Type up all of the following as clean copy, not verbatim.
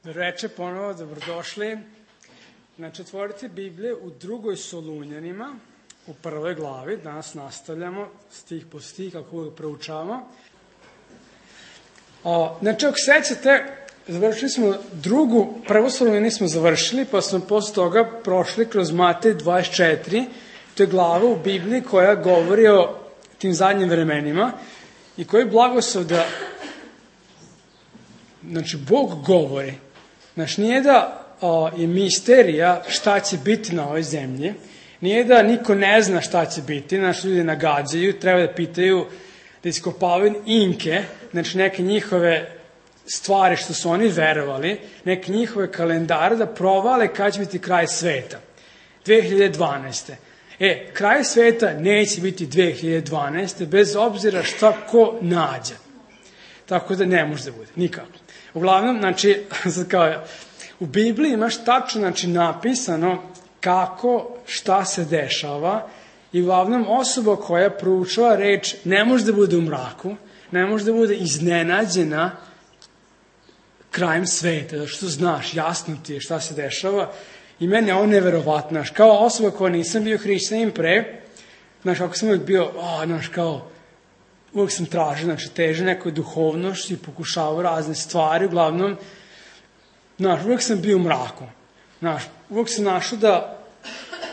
Reče ponovo, dobrodošli. Znači, otvorite Biblije u 2. Solunjanima, u 1. glavi. Danas nastavljamo stih po stih, kako uvijek proučavamo. Znači, ako sećate, završili smo 1. Solunjani smo završili, pa smo posle toga prošli kroz Matej 24. To je glava u Bibliji koja govori o tim zadnjim vremenima i koji blagoslov da, znači, Bog govori. Znači, nije da je misterija šta će biti na ovoj zemlji, nije da niko ne zna šta će biti, znači, ljudi nagađaju, treba da pitaju, da iskopavaju inke, znači, neke njihove stvari što su oni verovali, neke njihove kalendare da provale kada će biti kraj sveta. 2012. Kraj sveta neće biti 2012. bez obzira šta ko nađe. Tako da ne može da bude, nikako. Uglavnom, znači, u Bibliji imaš tačno, znači, napisano kako, šta se dešava i uglavnom osoba koja proučava reč ne može da bude u mraku, ne može da bude iznenađena krajem sveta, zato što znaš, jasno ti je šta se dešava i meni je ovo neverovatno. Kao osoba koja nisam bio hrišćanin pre, znaš, kako sam uvijek bio, uvijek sam tražio, znači, teže nekoj duhovnošći, pokušavao razne stvari, uglavnom, znaš, uvijek sam bio u mraku. Znaš, uvijek sam našao da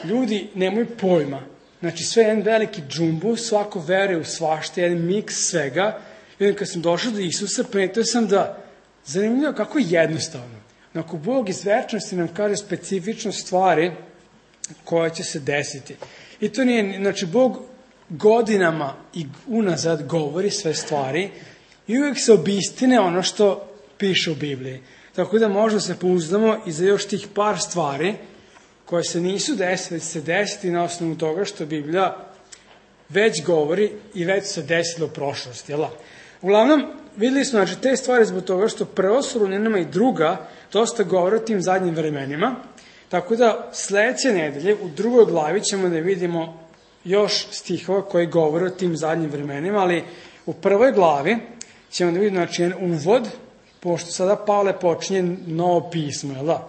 ljudi nemaju pojma. Znači, sve je jedan veliki džumbu, svako veruje u svašta, jedan miks svega. I onda kad sam došao do Isusa, primetio sam da, zanimljivo kako je jednostavno. Ako Bog iz večnosti nam kaže specifično stvari koje će se desiti. I to nije, znači, Bog godinama i unazad govori sve stvari i uvijek se obistine ono što piše u Bibliji. Tako da možda se pouzdamo i za još tih par stvari koje se nisu desile, se desiti na osnovu toga što Biblija već govori i već se desilo u prošlosti. Uglavnom, videli smo, znači, te stvari zbog toga što 1. Solunjanima i 2. dosta govore o tim zadnjim vremenima. Tako da sledeće nedelje u 2. glavi ćemo da vidimo još stihova koji govore o tim zadnjim vremenima, ali u 1. glavi ćemo da vidimo, znači, jedan uvod, pošto sada Pavle počinje novo pismo,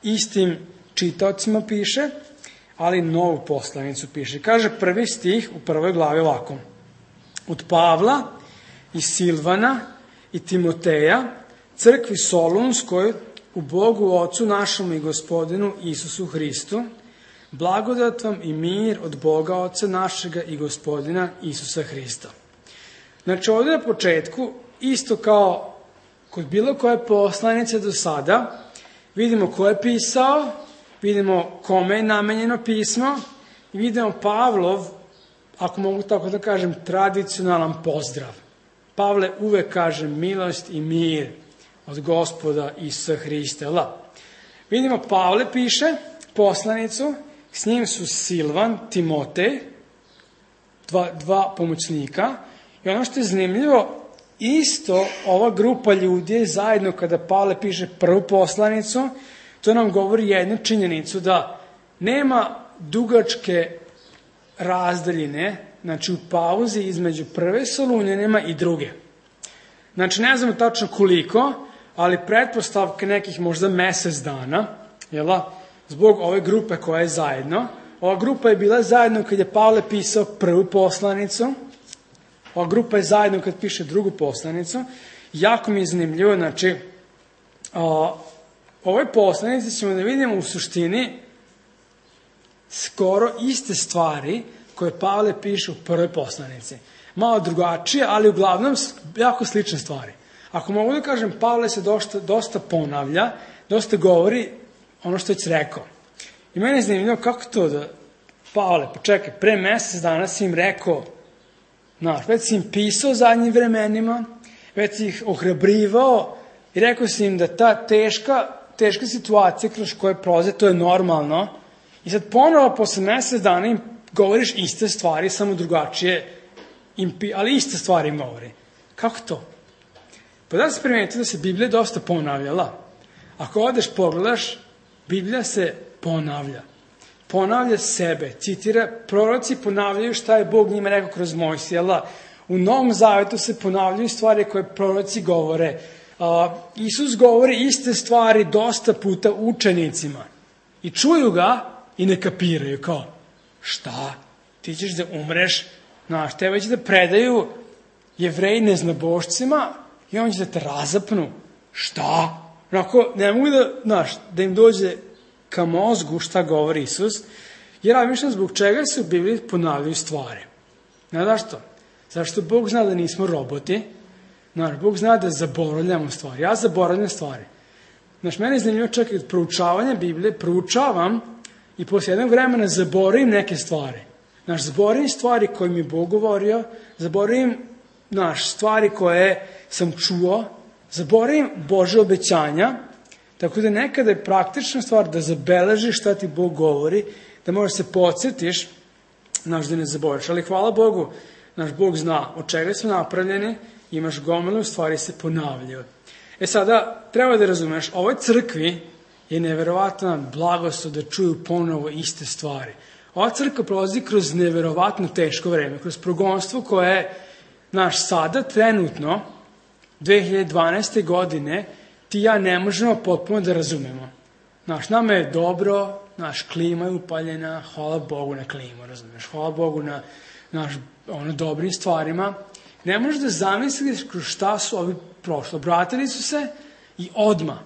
istim čitaocima piše, ali novu poslanicu piše. Kaže prvi stih u 1. glavi ovako: od Pavla i Silvana i Timoteja, crkvi Solunskoj, u Bogu Ocu našemu i Gospodinu Isusu Hristu, blagodat vam i mir od Boga Oca našega i Gospodina Isusa Hrista. Znači, ovdje na početku, isto kao kod bilo koje poslanice do sada, vidimo ko je pisao, vidimo kome je namenjeno pismo i vidimo Pavlov, ako mogu tako da kažem, tradicionalan pozdrav. Pavle uvek kaže milost i mir od Gospoda Isusa Hrista. Vidimo, Pavle piše poslanicu, s njim su Silvan, Timotej, dva pomoćnika, i ono što je zanimljivo, isto ova grupa ljudi je zajedno kada Pavle piše prvu poslanicu, to nam govori jednu činjenicu, da nema dugačke razdaljine, znači u pauzi između 1. Solunjanima i 2. Znači, ne znamo tačno koliko, ali pretpostavke nekih možda mesec dana, zbog ove grupe koja je zajedno. Ova grupa je bila zajedno kad je Pavle pisao prvu poslanicu, ova grupa je zajedno kad piše drugu poslanicu. Jako mi je zanimljivo, znači, ovoj poslanici ćemo da vidimo u suštini skoro iste stvari koje Pavle piše u prvoj poslanici. Malo drugačije, ali uglavnom jako slične stvari. Ako mogu da kažem, Pavle se dosta ponavlja, dosta govori ono što je već rekao. I meni je zanimljivo kako to da Pavle, počekaj, pre mesec dana si im rekao, već si im pisao o zadnjim vremenima, već si ih ohrabrivao i rekao si im da ta teška situacija kroz koje prolaze, to je normalno. I sad ponovo posle mesec dana im govoriš iste stvari, samo drugačije, ali iste stvari im govori. Kako to? Pa da se primetite da se Biblija dosta ponavljala. Ako odeš pogledaš, Biblija se ponavlja. Ponavlja sebe, citira, proroci ponavljaju šta je Bog njima rekao kroz Mojsija. U Novom Zavetu se ponavljaju stvari koje proroci govore. Isus govori iste stvari dosta puta učenicima. I čuju ga i ne kapiraju. Kao, šta? Ti ćeš da umreš? Znaš, tebe će da predaju Jevreji neznabošcima i on će da te razapnu. Šta? Onako, ne mogu da im dođe ka mozgu šta govori Isus, jer ja mišljam zbog čega se u Bibliji ponavljaju stvari. Znaš što? Zašto Bog zna da nismo roboti? Znaš, Bog zna da zaboravljamo stvari. Ja zaboravljam stvari. Znaš, meni je zanimljivo čak i od proučavanja Biblije, proučavam i posle jednog vremena zaboravim neke stvari. Znaš, zaboravim stvari koje mi je Bog govorio, zaboravim stvari koje sam čuo, zaboravim Bože obećanja, tako da nekada je praktična stvar da zabeležiš šta ti Bog govori, da možeš se podsjetiš, da ne zaboraviš. Ali hvala Bogu, naš Bog zna od čega smo napravljeni, imaš gomilu, stvari se ponavljaju. Sada, treba da razumeš, ovoj crkvi je neverovatna blagoslov da čuju ponovo iste stvari. Ova crkva prolazi kroz neverovatno teško vreme, kroz progonstvo koje je sada trenutno, 2012. godine, ti i ja ne možemo potpuno da razumemo. Nama je dobro, klima je upaljena, hvala Bogu na klimu, razumeš, hvala Bogu na dobrim stvarima. Ne možeš da zamisliš kroz šta su ovi prošli. Obratili su se i odmah.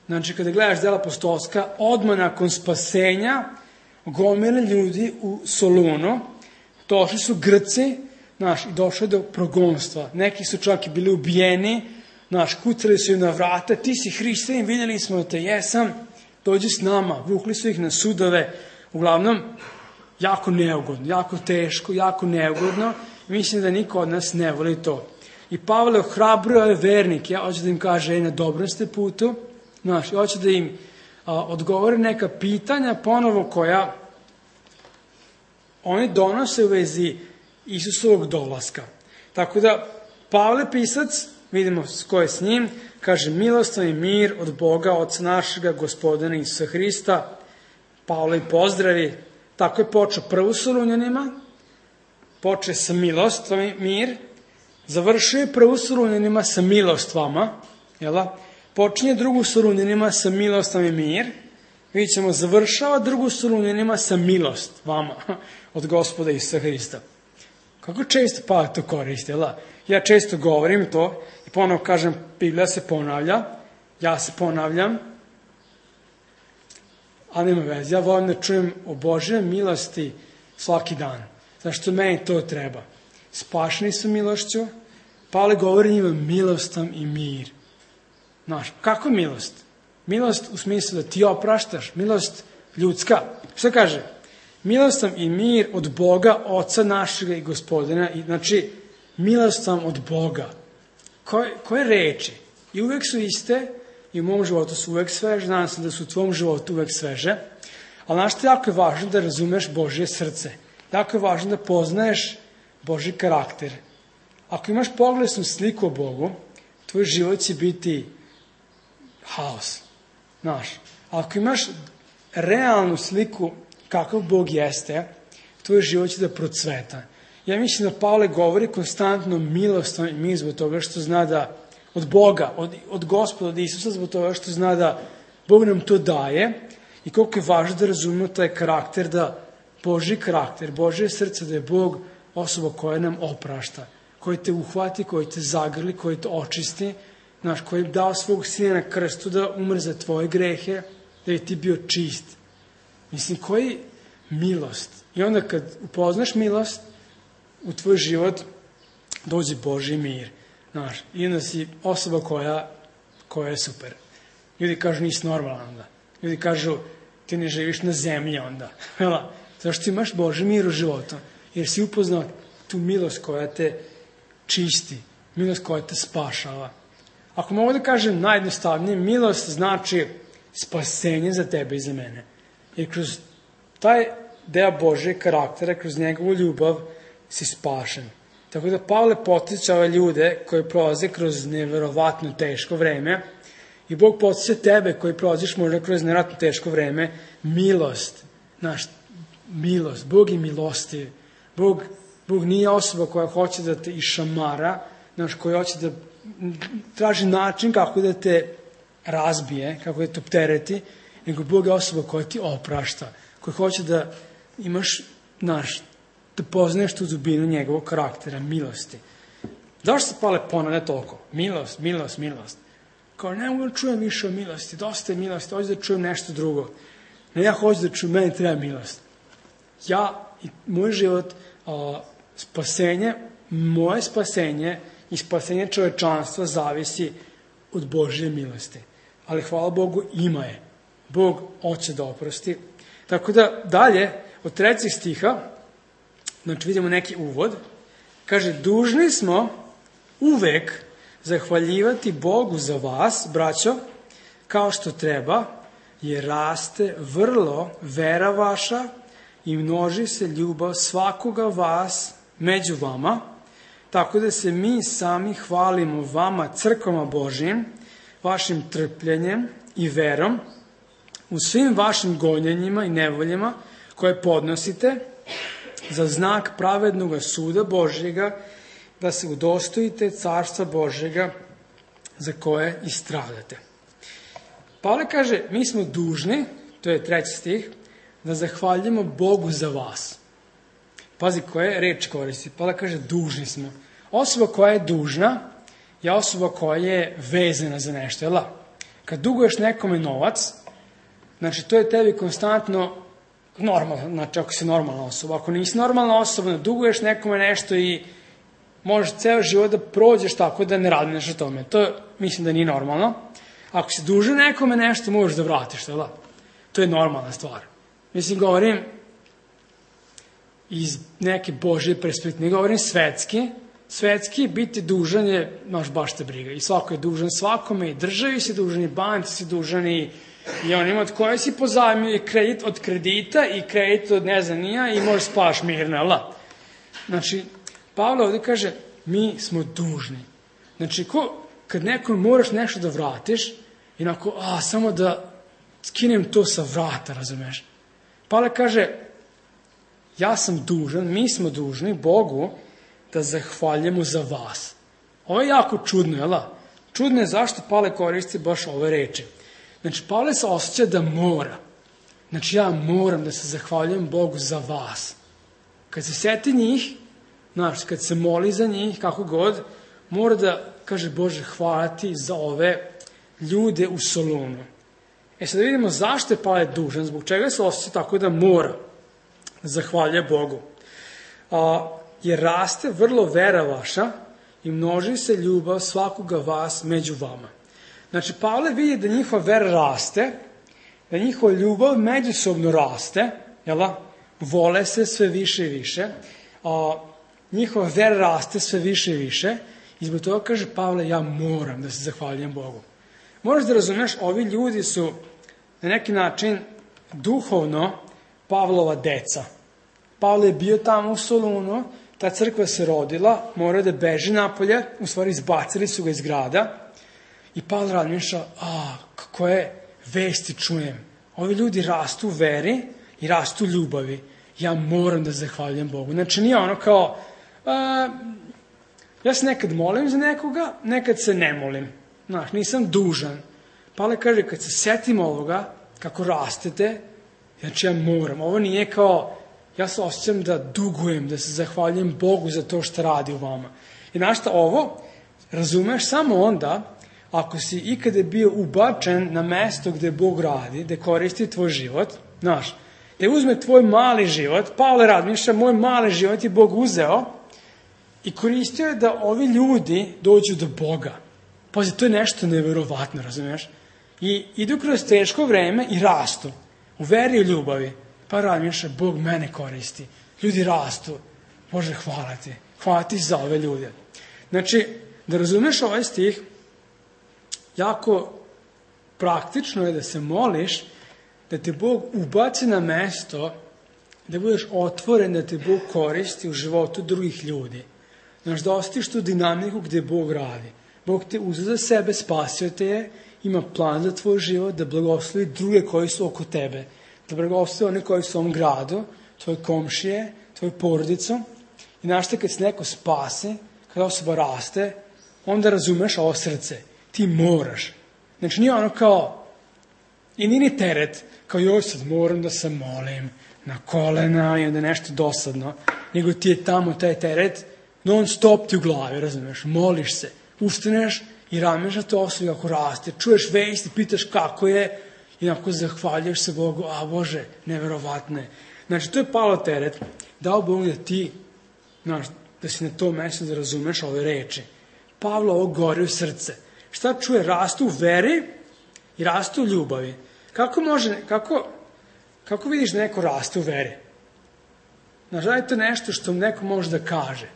Znači, kada gledaš dela apostolska, odmah nakon spasenja, gomile ljudi u Solunu, došli su Grci, i došlo je do progonstva. Neki su čak i bili ubijeni, kucali su im na vrata, ti si hrišćanin, vidjeli smo da te jesam, dođi s nama, vukli su ih na sudove, uglavnom, jako neugodno, jako teško, jako neugodno, mislim da niko od nas ne voli to. I Pavle ohrabruje ove vernike, hoće da im kaže, na dobrom ste putu, hoće da im odgovore neka pitanja ponovo koja oni donose u vezi Isusovog dolaska. Tako da, Pavle pisac, vidimo ko je s njim, kaže, milostan i mir od Boga, Oca našega, Gospodina Isusa Hrista. Pavle i pozdravi. Tako je počeo prvu Solunjanima, počeo sa milostom i mir, završio je prvu Solunjanima sa milost vama, počinje drugu Solunjanima sa milostom i mir, vidjet ćemo, završava drugu Solunjanima sa milost vama od Gospoda Isusa Hrista. Kako često Pavle to koristi, Ja često govorim to i ponovno kažem, Biblija se ponavlja, ja se ponavljam, ali nema veze, ja volim da čujem o Božoj milosti svaki dan, zašto meni to treba. Spašeni su milošću, Pavle govori njima milostom i mir. Kako milost? Milost u smislu da ti opraštaš, milost ljudska. Što kaže? Milostom i mir od Boga, Oca našega i Gospodina. Znači, milostom od Boga. Koje reči? I uvek su iste, i u mom životu su uvek sveže, znam se da su u tvom životu uvek sveže, ali što jako je važno da razumeš Božje srce. Jako je važno da poznaješ Božji karakter. Ako imaš poglednu sliku o Bogu, tvoj život će biti haos. Ako imaš realnu sliku kakav Bog jeste, tvoj život će da procveta. Ja mislim da Pavle govori konstantno milostom i mir zbog toga što zna da od Boga, od Gospoda, od Isusa, zbog toga što zna da Bog nam to daje i koliko je važno da razumemo taj karakter, da Božji karakter, Božje srce, da je Bog osoba koja nam oprašta, koji te uhvati, koji te zagrli, koji te očisti, koji je dao svog sina na krstu da umre za tvoje grehe, da je ti bio čist. Mislim, koji milost. I onda kad upoznaš milost, u tvoj život dođe Božji mir. I onda si osoba koja je super. Ljudi kažu, nisi normalan onda. Ljudi kažu, ti ne živiš na zemlji onda. Zašto imaš Božji mir u životu? Jer si upoznao tu milost koja te čisti, milost koja te spašava. Ako mogu da kažem najjednostavnije, milost znači spasenje za tebe i za mene. Jer kroz taj deo Božje karaktera, kroz njegovu ljubav, si spašen. Tako da Pavle podsjeća ove ljude koji prolaze kroz neverovatno teško vreme i Bog podsjeća tebe koji prolaziš možda kroz neverovatno teško vreme, milost. Milost. Bog je milostiv. Bog nije osoba koja hoće da te išamara, koja hoće da traži način kako da te razbije, kako da te optereti, nego Bog je osoba koja ti oprašta, koja hoće da imaš, da poznaješ tu dubinu njegovog karaktera, milosti. Zašto se Pavle ponavlja toliko? Milost, milost, milost. Kao, ne mogu da čujem više o milosti, dosta je milosti, hoću da čujem nešto drugo. Ne, ja hoću da čujem, meni treba milost. Ja i moj život, spasenje, moje spasenje i spasenje čovečanstva zavisi od Božje milosti. Ali hvala Bogu, ima je. Bog hoće da oprosti. Tako da dalje, od 3. stiha, znači vidimo neki uvod, kaže, dužni smo uvek zahvaljivati Bogu za vas, braćo, kao što treba, jer raste vrlo vera vaša i množi se ljubav svakoga vas među vama, tako da se mi sami hvalimo vama, crkvama Božjim, vašim trpljenjem i verom, u svim vašim gonjenjima i nevoljama koje podnosite za znak pravednog suda Božjega, da se udostojite carstva Božjega za koje i stradate. Pavle kaže, mi smo dužni, to je 3. stih, da zahvaljujemo Bogu za vas. Pazi koje reč koristi. Pavle kaže, dužni smo. Osoba koja je dužna je osoba koja je vezana za nešto. Jel? Kad duguješ nekome novac, znači to je tebi konstantno normalno, znači ako si normalna osoba. Ako nisi normalna osoba, duguješ nekome nešto i možeš ceo život da prođeš tako da ne radneš o tome. To mislim da nije normalno. Ako si dužan nekome nešto, možeš da vratiš, jel? To je normalna stvar. Mislim, govorim iz neke Božje perspektive, govorim svetski. Svetski biti dužan je, baš te briga. I svako je dužan svakome, i državi si dužan, i banci si dužan, i onima od koje si pozajmio, i kredit od kredita, i kredit od ne znam nija, i možeš spavaš mirno, jel? Znači, Pavle ovdje kaže, mi smo dužni. Znači, kad nekom moraš nešto da vratiš, inako, samo da skinem to sa vrata, razumeš? Pavle kaže, ja sam dužan, mi smo dužni Bogu da zahvaljujemo za vas. Ovo je jako čudno, jel? Čudno je zašto Pavle koristi baš ove reči. Znači, Pavle se osjeća da mora. Znači, ja moram da se zahvaljujem Bogu za vas. Kad se seti njih, znači, kad se moli za njih, kako god, mora da kaže, Bože, hvala ti za ove ljude u Solunu. Sad da vidimo zašto je Pavle dužan, zbog čega se osjeća tako da mora da zahvaljuje Bogu. Jer raste vrlo vera vaša i množi se ljubav svakoga vas među vama. Znači, Pavle vidi da njihova vera raste, da njihova ljubav međusobno raste, jel? Vole se sve više i više, njihova vera raste sve više i više, i zbog toga kaže Pavle, ja moram da se zahvaljujem Bogu. Moraš da razumeš, ovi ljudi su na neki način duhovno Pavlova deca. Pavle je bio tamo u Solunu, ta crkva se rodila, morao da beži napolje, u stvari izbacili su ga iz grada, i Pavle razmišlja, koje vesti čujem. Ovi ljudi rastu u veri i rastu u ljubavi. Ja moram da zahvaljujem Bogu. Znači nije ono kao, ja se nekad molim za nekoga, nekad se ne molim. Znaš, nisam dužan. Pavle kaže, kad se setim ovoga, kako rastete, znači ja moram. Ovo nije kao, ja se osjećam da dugujem, da se zahvaljujem Bogu za to što radi u vama. I znaš šta, ovo razumeš samo onda, ako si ikada bio ubačen na mesto gde Bog radi, gde koristi tvoj život, znaš, da uzme tvoj mali život, Pavle razmišlja, moj mali život je Bog uzeo i koristio je da ovi ljudi dođu do Boga. Pazi, to je nešto neverovatno, razumiješ? I idu kroz teško vreme i rastu. U veri i ljubavi. Pa razmišlja, Bog mene koristi. Ljudi rastu. Bože, hvala ti. Hvala ti za ove ljude. Znači, da razumeš ovaj stih, jako praktično je da se moliš, da te Bog ubaci na mesto, da budeš otvoren, da te Bog koristi u životu drugih ljudi. Znaš, da ostiš tu dinamiku gde Bog radi. Bog te uzeo za sebe, spasio te je, ima plan za tvoj život, da blagoslovi druge koji su oko tebe, da blagoslovi one koji su u ovom gradu, tvoje komšije, tvoju porodicu. I znaš te, kad se neko spase, kada osoba raste, onda razumeš ovo srce. Ti moraš. Znači nije ono kao, i nije ni teret, kao joj sad moram da se molim na kolena i onda nešto dosadno, nego ti je tamo taj teret, non stop ti u glavi, razumeš, moliš se, ustaneš i rameš na to osobi kako raste, čuješ vest i pitaš kako je i onako zahvaljuješ se Bogu, a Bože, neverovatno je. Znači, to je palo teret, dao Bog da ti, znaš, da si na tom mjestu da razumeš ove reči. Pavlo ovo gori u srce. Šta čuje? Rastu u veri i rastu u ljubavi. Kako vidiš da neko raste u veri? Znaš, da je to nešto što neko može da kaže.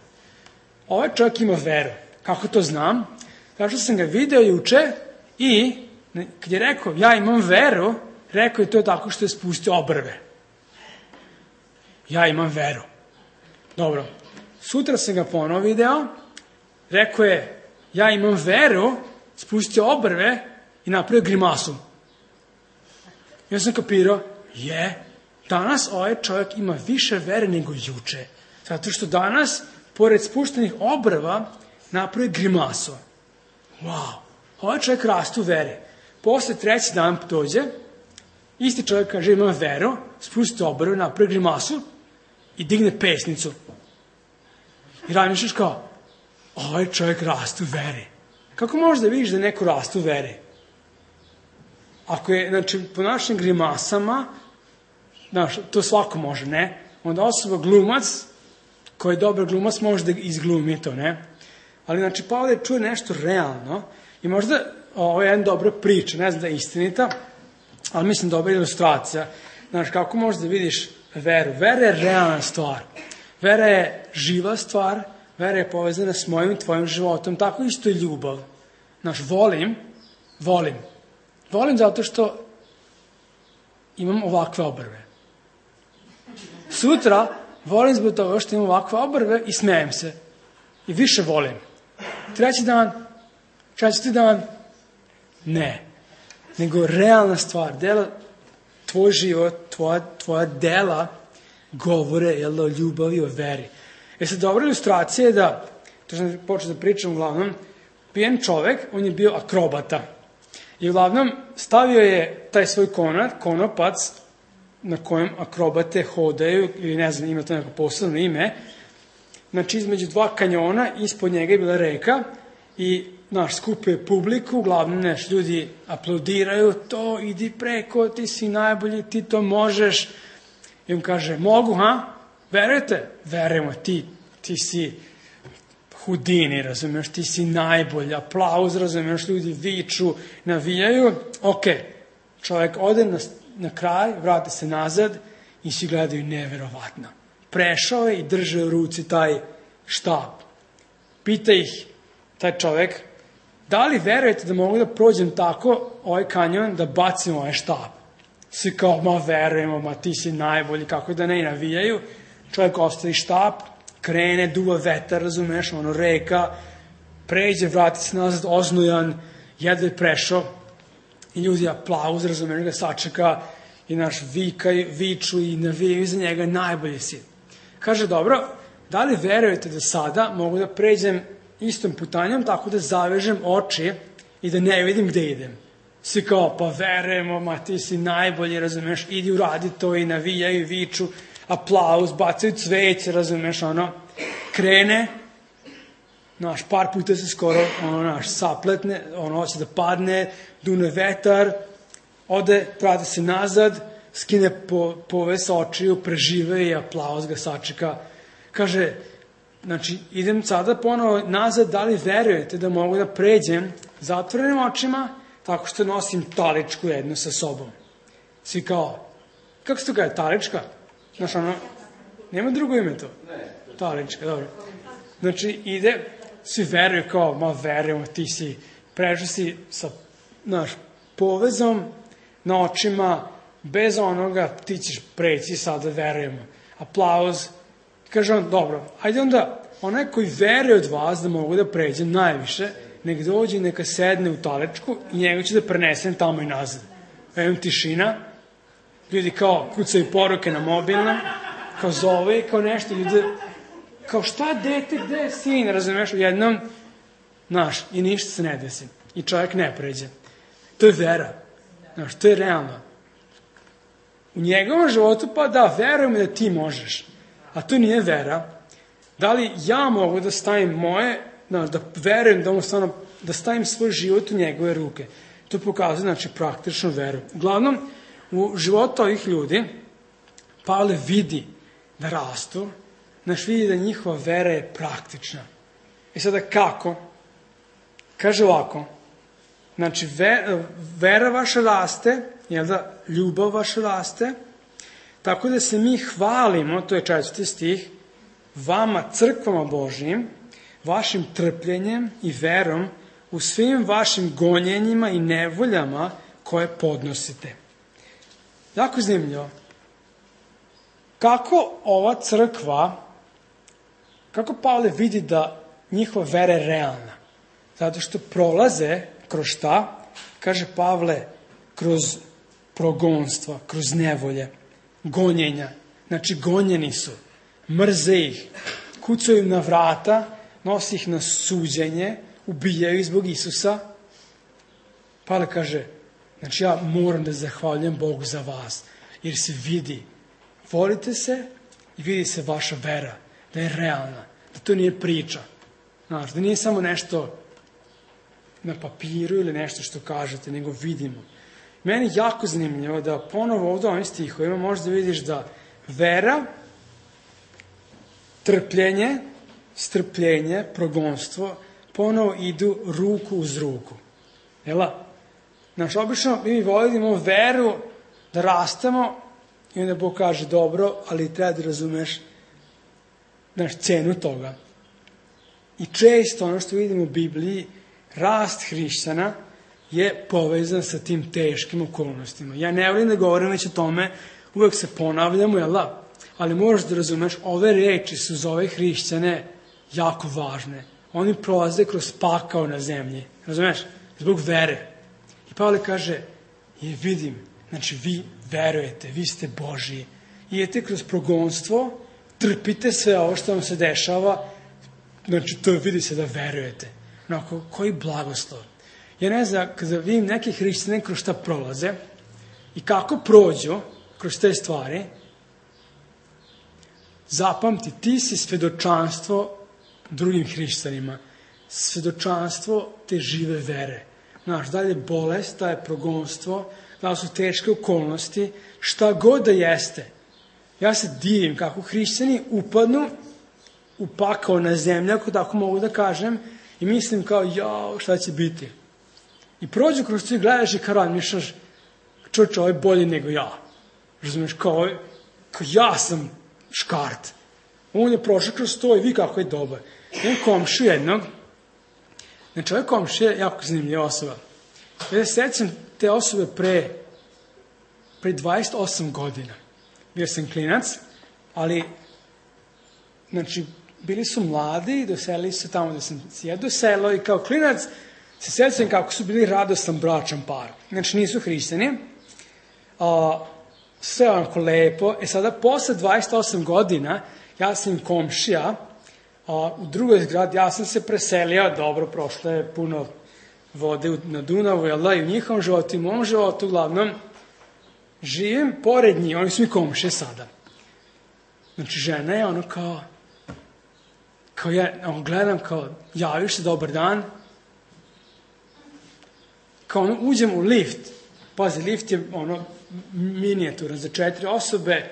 Ovaj čovjek ima veru. Kako to znam? Zato što sam ga video juče i kad je rekao ja imam veru, rekao je to tako što je spustio obrve. Ja imam veru. Dobro. Sutra sam ga ponovo video, rekao je ja imam veru, spustio obrve i napravio grimasu. Ja sam kapirao, danas ovaj čovjek ima više vere nego juče. Zato što danas, pored spuštenih obrva, napravio grimasu. Wow, ovaj čovjek raste u veri. Posle 3. dan dođe, isti čovjek kaže imam veru, spusti obrve, napravi grimasu i digne pesnicu. I razmišljaš kao, ovaj čovjek raste u veri. Kako možeš da vidiš da neko raste u veri? Ako je, znači, po našim grimasama, znaš, to svako može, ne? Onda osoba glumac, koji je dobar glumac, može da izglumi to, ne? Ali, znači, Pavle čuje nešto realno i možda ovo je jedna dobra priča, ne znam da je istinita, ali mislim dobra ilustracija. Znaš, kako možeš da vidiš veru? Vera je realna stvar. Vera je živa stvar, vera je povezana s mojim i tvojim životom, tako isto i ljubav. Znaš, volim zato što imam ovakve obrve. Sutra volim zbog toga što imam ovakve obrve i smijem se. I više volim. 3. dan, 4. dan, ne. Nego realna stvar, dela, tvoj život, tvoja dela govore o ljubavi, o veri. Sad, dobra ilustracija je da, to sam počeo da pričam uglavnom, pijen čovek, on je bio akrobata. I uglavnom stavio je taj svoj konopac na kojem akrobate hodaju, ili ne znam, ima to neko posebno ime, znači između 2 kanjona, ispod njega je bila reka i skupio publiku, uglavnom ljudi aplaudiraju, to idi preko, ti si najbolji, ti to možeš. I on kaže, mogu, ha? Verujete? Verujemo, ti si Hudini, razumiješ, ti si najbolji, aplauz, razumiješ, ljudi viču, navijaju, ok, čovjek ode na kraj, vrati se nazad i svi gledaju neverovatno. Prešao je i drže u ruci taj štab. Pita ih taj čovjek, da li verujete da mogu da prođem tako ovaj kanjon, da bacim ovaj štab? Svi kao, verujemo, ti si najbolji, kako da ne navijaju. Čovjek ostavi štab, krene, duva vetar, razumeš, reka, pređe, vrati se nazad, oznujan, jedva je prešao i ljudi aplauz, razumeš, ga sačeka i viču i navijaju za njega, najbolji si. Kaže, dobro, da li verujete da sada mogu da pređem istom putanjom tako da zavežem oči i da ne vidim gde idem? Svi kao, verujemo, ti si najbolji, razumeš, idi uradi to i navijaju, viču, aplauz, bacaju cveće, razumeš, krene, par puta se skoro, sapletne, hoće da padne, dune vetar, ode, vrati se nazad, skine poves očiju, prežive i aplauz ga sačeka. Kaže, znači, idem sada ponovo nazad, da li verujete da mogu da pređem zatvorenim očima, tako što nosim taličku jednu sa sobom. Svi kao, kako se to kaže, talička? Znaš, nema drugo ime to? Talička, dobro. Znači, ide, svi veruju kao, verujemo, ti si, prešao si sa, povezom na očima, bez onoga, ti ćeš preći, sada verujemo. Aplauz. Kaže on, dobro, ajde onda, onaj koji veruje od vas da mogu da pređem najviše, nek dođe i neka sedne u talečku i njega ću da prenesem tamo i nazad. Evo tišina, ljudi kao kucaju poruke na mobilnom, kao zove i kao nešto, ljudi, kao šta dete, gde je sin, razumeš, u jednom Znaš, i ništa se ne desi. I čovjek ne pređe. To je vera. Znaš, to je realno. U njegovom životu pa da, verujem da ti možeš. A to nije vera. Da li ja mogu da stavim moje, da verujem da on stvarno, da stavim svoj život u njegove ruke. To pokazuje, znači, praktičnu veru. Uglavnom, u životu ovih ljudi, Pavle vidi da rastu, znaš, vidi da njihova vera je praktična. I sada kako? Kaže ovako, znači, vera vaša raste, jel da, ljubav vaša raste, tako da se mi hvalimo, to je 4. stih, vama, crkvama Božijim, vašim trpljenjem i verom u svim vašim gonjenjima i nevoljama koje podnosite. Jako zanimljivo. Kako ova crkva, kako Pavle vidi da njihova vera je realna? Zato što prolaze kroz šta? Kaže Pavle, kroz progonstva, kroz nevolje, gonjenja. Znači, gonjeni su, mrze ih, kucaju im na vrata, nosi ih na suđenje, ubijaju ih zbog Isusa. Pavle kaže, znači ja moram da zahvaljujem Bogu za vas, jer se vidi, volite se i vidi se vaša vera, da je realna, da to nije priča. Znaš, da nije samo nešto na papiru ili nešto što kažete, nego vidimo. Meni je jako zanimljivo da ponovo ovdje ovim stihovima možda vidiš da vera, trpljenje, strpljenje, progonstvo, ponovo idu ruku uz ruku. Jela? Znaš, obično mi volimo veru da rastemo i onda Bog kaže dobro, ali treba da razumeš cenu toga. I često ono što vidimo u Bibliji, rast hrišćana je povezan sa tim teškim okolnostima. Ja ne volim da govorim već o tome, uvek se ponavljamo, jel da? Ali moraš da razumeš, ove reči su za ove hrišćane jako važne. Oni prolaze kroz pakao na zemlji, razumeš? Zbog vere. I Pavle kaže, vidim, znači vi verujete, vi ste Božiji. Idete kroz progonstvo, trpite sve ovo što vam se dešava, znači to vidi se da verujete. Onako, koji blagoslov. Ja ne znam, kada vidim neke hrišćane kroz šta prolaze i kako prođu kroz te stvari, zapamti, ti si svedočanstvo drugim hrišćanima. Svedočanstvo te žive vere. Znaš, da li je bolest, da je progonstvo, da li su teške okolnosti, šta god da jeste. Ja se divim kako hrišćani upadnu u pakao na zemlju, ako tako mogu da kažem, i mislim kao, jao, šta će biti? I prođu kroz to i gledaš i kao razmišljaš, čovječe, ovo je bolje nego ja. Razumiješ, kao ja sam škart. On je prošao kroz to i vi kako je dobar. Jedan komšiju jednog, znači ovaj komšija je jako zanimljiva osoba. Ja se sećam te osobe pre 28 godina. Bio sam klinac, ali, znači, bili su mladi, doselili se tamo gde sam se doselo i kao klinac se sećam kako su bili radostan bračan par. Znači, nisu hrišćani. Sve onako lepo. Sada, posle 28 godina, ja sam im komšija, u drugoj zgradi, ja sam se preselio, dobro, prošlo je puno vode na Dunavu, jel da, i u njihovom životu i u mom životu, uglavnom, živim pored njih, oni su mi komšije sada. Znači, žena je ono kao ja gledam, kao, javiš se, dobar dan, kao ono, uđem u lift, pazi, lift je ono, minijaturan za 4 osobe,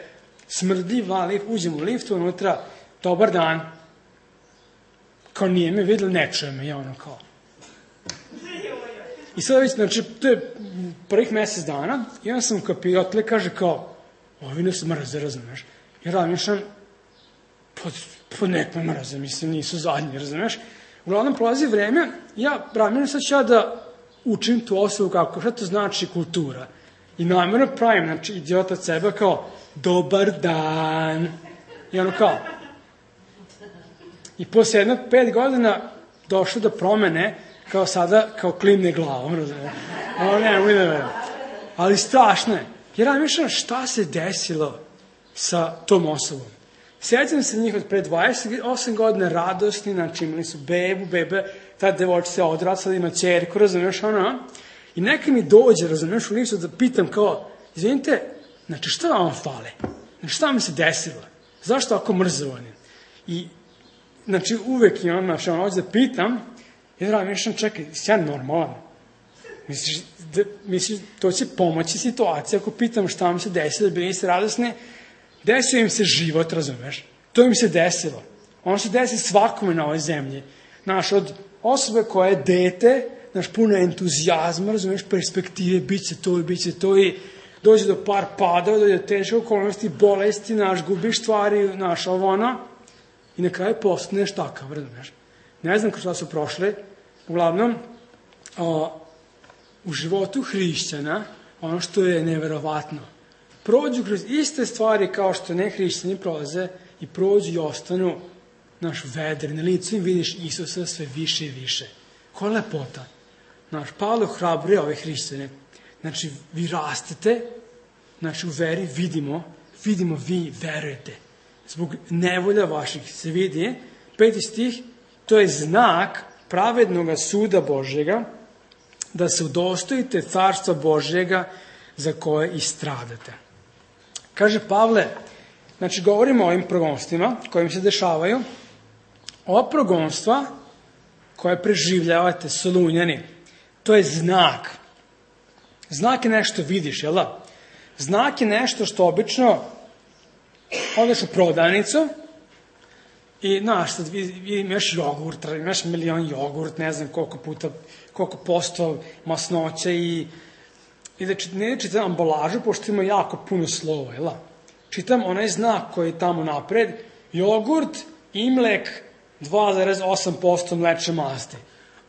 smrdljiv, lift, uđem u liftu, unutra, dobar dan, kao nije me vidjeli, ne čuje me, ja ono kao. I sada već, znači, to je prvih mjesec dana, i onda sam kapirao, tle kaže kao, ovi ne su mrze, razumeš? I razmišljam, po nekom mrze, mislim, nisu zadnji, razumeš? Uglavnom, prolazi vreme, ja razmišljam, sad ću ja da učim tu osobu kako, šta to znači kultura. I namjerno pravim, znači, idiota od sebe kao, dobar dan. I ono kao. I posle 5 godina došlo do promene, kao sada, kao klimne glavom, razumiješ? Ovo ne verujem. Ali strašno je. Jer razmišljam šta se desilo sa tom osobom. Sjećam se njih od pre 28 godina radosni, znači imali su bebe, ta devojčica odrasla, ima ćerku, razumeš, i neka mi dođe, razumeš, u licu da pitam kao, izvinite, znači šta vam fale? Znači šta mi se desilo? Zašto ako mrzovani? I, znači, uvek imam, znači, hoću da pitam, i da mišljam, čekaj, si ja normalan? Misliš, to će pomoći situacija ako pitam šta mi se desilo, da bili se radosni, desio im se život, razumeš? To im se desilo. Ono se desi svakome na ovoj zemlji. Znaš, od osobe koja je dete, znaš, puno entuzijazma, razumeš, perspektive, bit će to i dođe do par padova, dođe do teške okolnosti, bolesti, znaš, gubiš stvari, znaš, i na kraju postaneš takav, razumeš? Ne znam šta su prošle, uglavnom, u životu hrišćana, ono što je neverovatno, prođu kroz iste stvari kao što nehrišćani prolaze i prođu i ostanu, naš vedri, na licu im vidiš Isusa sve više i više. Koja lepota. Naš Pavle ohrabruje ove hrišćane. Znači, vi rastete, znači u veri vidimo vi verujete. Zbog nevolja vaših se vidi, 5. stih, to je znak pravednog suda Božjega, da se udostojite carstva Božjega za koje i stradate. Kaže Pavle, znači govorimo o ovim progonstvima kojim se dešavaju. Ova progonstva koje preživljavate, Solunjani, to je znak. Znak je nešto vidiš, jel da? Znak je nešto što obično odeš u prodavnicu i, znaš, sad imaš jogurt, imaš milion jogurt, ne znam koliko posto masnoće i da ne čitam ambalažu, pošto ima jako puno slova, jel da? Čitam onaj znak koji je tamo napred, jogurt i mlek 2,8% mlečne masti.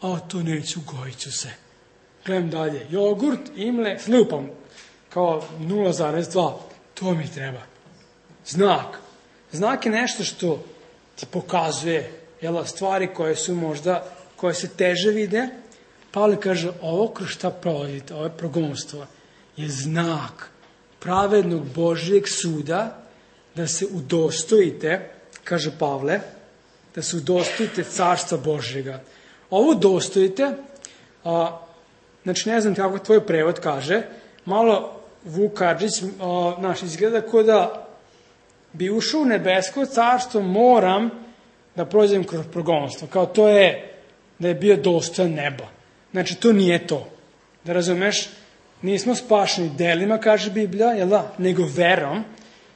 A to neću, gojit ću se. Gledam dalje, jogurt i mlek, slupam, kao 0,2, to mi treba. Znak. Znak je nešto što ti pokazuje, jel, stvari koje su možda, koje se teže vide. Pavle kaže, ovo kroz šta provodite, ovo progonstvo, je znak pravednog Božjeg suda, da se udostojite, kaže Pavle, da se udostojite carstva Božjega. Ovo udostojite, znači ne znam kako tvoj prevod kaže, malo Vuk Kadžić, naš izgleda kao da bi ušao u nebesko carstvo, moram da prođem kroz progonstvo. Kao to je da je bio dostojan neba. Znači to nije to. Da razumeš, nismo spašeni delima, kaže Biblija, jel da, nego verom.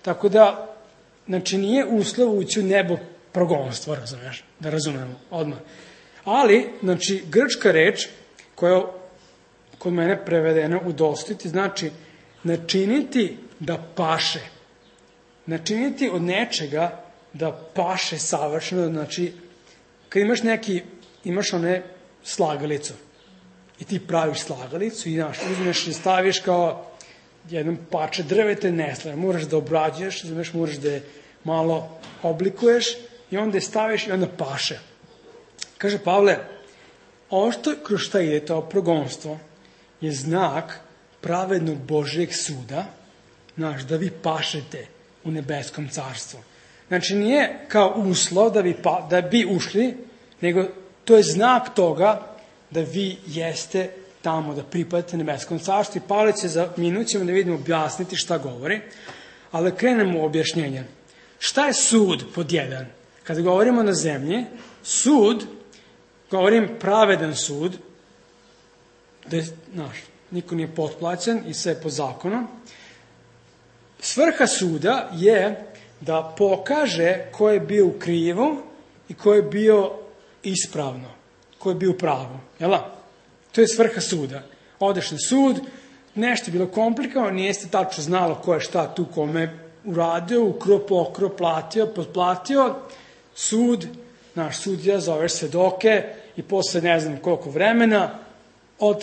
Tako da, znači nije uslov ući u nebo progonstvo, razumeš, da razumemo odmah. Ali, znači, grčka reč koja je kod mene prevedena udostojiti, znači načiniti da paše. Načiniti od nečega da paše savršeno, znači, kad imaš one slagalicu i ti praviš slagalicu i uzmeš i staviš kao jednom parče drvete, ne slaže, moraš da obrađuješ, moraš da je malo oblikuješ i onda je staviš i onda paše. Kaže Pavle, ovo što kroz šta ide, to progonstvo, je znak pravednog Božjeg suda, znaš, da vi pašete u nebeskom carstvu. Znači, nije kao uslov da bi ušli, nego to je znak toga da vi jeste tamo, da pripadate nebeskom carstvu. I Pavle će za minut ćemo da vidimo objasniti šta govori, ali krenemo u objašnjenje. Šta je sud pod jedan? Kada govorimo na zemlji, sud, govorim pravedan sud, da je, znaš, niko nije potplaćen i sve po zakonu. Svrha suda je da pokaže ko je bio u krivu i ko je bio ispravno, ko je bio u pravu. Jel' da? To je svrha suda. Odeš na sud, nešto je bilo komplikovano, nijeste tačno znalo ko je šta tu kome uradio, ukro, pokro, platio, potplatio. Sud, naš sudija, zoveš svedoke i posle ne znam koliko vremena,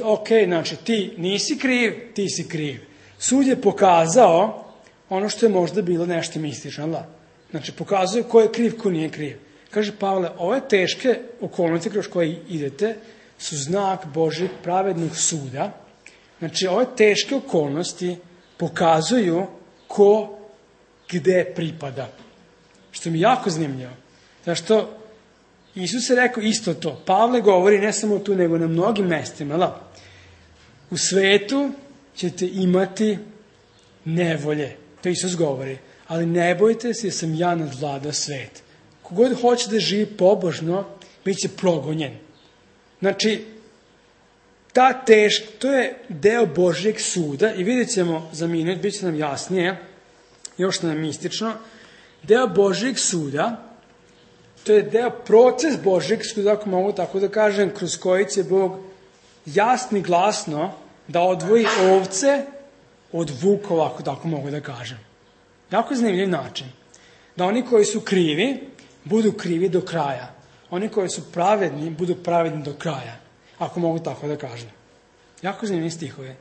ok, znači ti nisi kriv, ti si kriv. Sud je pokazao ono što je možda bilo nešto mistično, da? Znači, pokazuje ko je kriv, ko nije kriv. Kaže Pavle, ove teške okolnosti kroz koje idete su znak Božjeg pravednog suda. Znači, ove teške okolnosti pokazuju ko gde pripada. Što mi je jako zanimljivo. Zašto Isus je rekao isto to. Pavle govori ne samo tu, nego na mnogim mestima. U svetu ćete imati nevolje. To Isus govori. Ali ne bojte se, jer sam ja nadvladao svet. Kogod hoće da živi pobožno, bit će progonjen. Znači, to je deo Božjeg suda i vidjet ćemo za minut, bit će nam jasnije, još nam mistično, deo Božjeg suda, to je deo proces Božjeg suda, ako mogu tako da kažem, kroz koji će Bog jasno i glasno da odvoji ovce od vukova, ako tako mogu da kažem. Jako zanimljiv način. Da oni koji su krivi, budu krivi do kraja. Oni koji su pravedni, budu pravedni do kraja. Ako mogu tako da kažem. Jako zanimljiv stihove.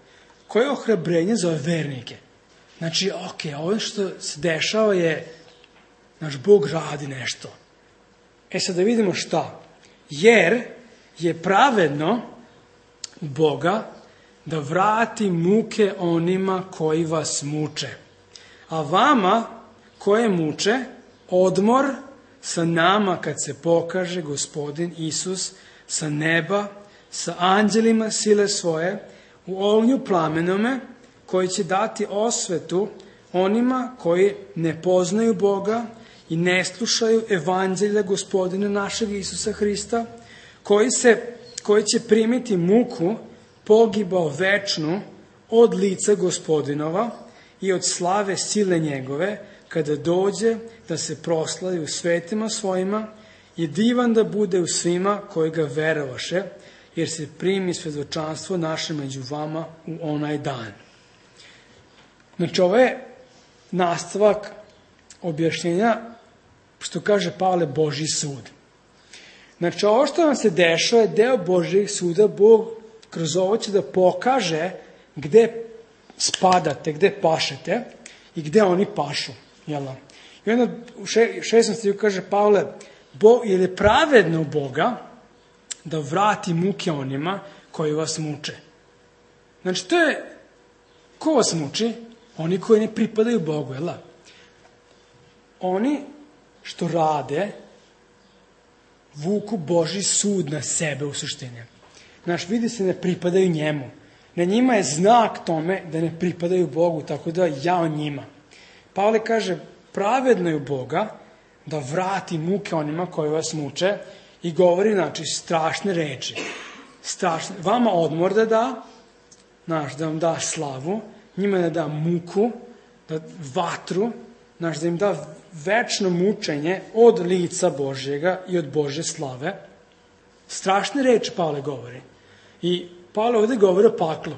Koje je ohrabrenje za ove vernike? Znači, ovo što se dešava je, naš Bog radi nešto. Sad da vidimo šta. Jer je pravedno Boga da vrati muke onima koji vas muče. A vama koje muče, odmor sa nama kad se pokaže Gospodin Isus sa neba, sa anđelima sile svoje, u ognju plamenome, koji će dati osvetu onima koji ne poznaju Boga i ne slušaju evanđelja Gospodina našeg Isusa Hrista, koji će primiti muku pogibao večnu od lica Gospodinova i od slave sile njegove, kada dođe da se proslavi u svetima svojima i divan da bude u svima koji ga verovaše, jer se primi svedočanstvo naše među vama u onaj dan. Znači, ovo je nastavak objašnjenja, što kaže Pavle, Božji sud. Znači, ovo što vam se dešava je deo Božjeg suda. Bog kroz ovo će da pokaže gde spadate, gde pašete i gde oni pašu. I onda u 6. stihu kaže Pavle, jer je pravedno Boga da vrati muke onima koji vas muče. Znači, to je, ko vas muči? Oni koji ne pripadaju Bogu, Oni što rade, vuku Božji sud na sebe u suštini. Znaš, vidi se ne pripadaju njemu. Na njima je znak tome da ne pripadaju Bogu, tako da jao njima. Pavle kaže, pravedno je Boga da vrati muke onima koji vas muče i govori, znači, strašne reči. Vama odmor da da, da vam da slavu, njima da da muku, da vatru, da im da večno mučenje od lica Božjega i od Božje slave. Strašne reči Pavle govori. I Pavle ovdje govori o paklu.